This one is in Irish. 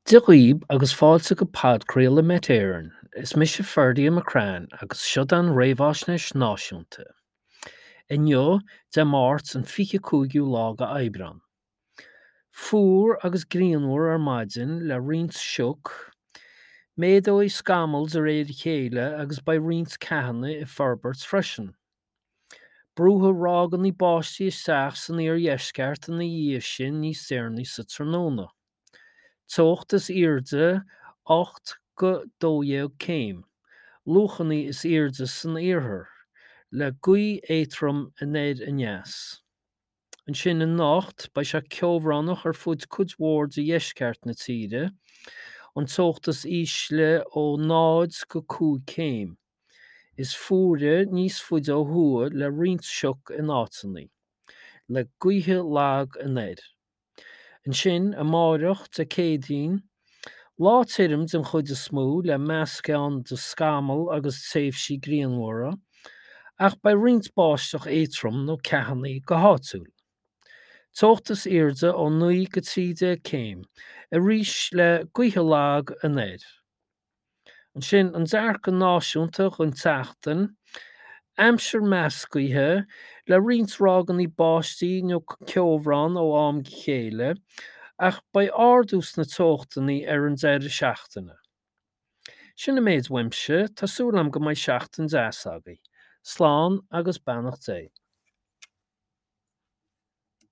Dia dhaoib agus fáilte go podchraoladh Met Éireann. Is mise Ferdia McCrann agus seod an réamhaisnéis náisiúnta. Inniu, Dé Máirt an 25ú lá de Aibreán. Fuar agus grianmhar ar maidin le roinnt sioc. Méadóidh scamaill de réir a chéile agus beidh roinnt ceathanna ag forbairt freisin. Brúfaidh ráigeanna báistí isteach san iardheisceart ina dhiaidh sin níos deireanaí sa tráthnóna. Teocht is airde 8-12 céim, luachanna is airde san iarthar, le gaoth éadrom anoir aneas. Ansin anocht, beidh sé ceobhránach ar fud cuid mhór de dheisceart na tíre, an teocht is ísle ó 0-5 céim. Is fuaire níos faide ó thuaidh le roinnt sioc in áiteanna, le gaotha lag anoir. Ansin, amáireach, Dé Céadaoin, lá tirim den chuid is mó le meascán de scamaill agus tréimhsí grianmhara, ach beidh roinnt báisteach éadrom nó ceathanna go háitiúil. Teocht is airde ó 9 go 13 céim, arís le gaotha lag anoir. Ansin, an dearcadh náisiúnta don tseachtain, aimsir meascaithe, le roinnt ráigeanna báistí nó ceobhrán ó am go chéile, ach beidh ardú sna teochtanna ar an deireadh seachtaine. Sin an méid uaimse, tá súil agam go mbeidh seachtain deas agaibh. Slán agus beannacht Dé.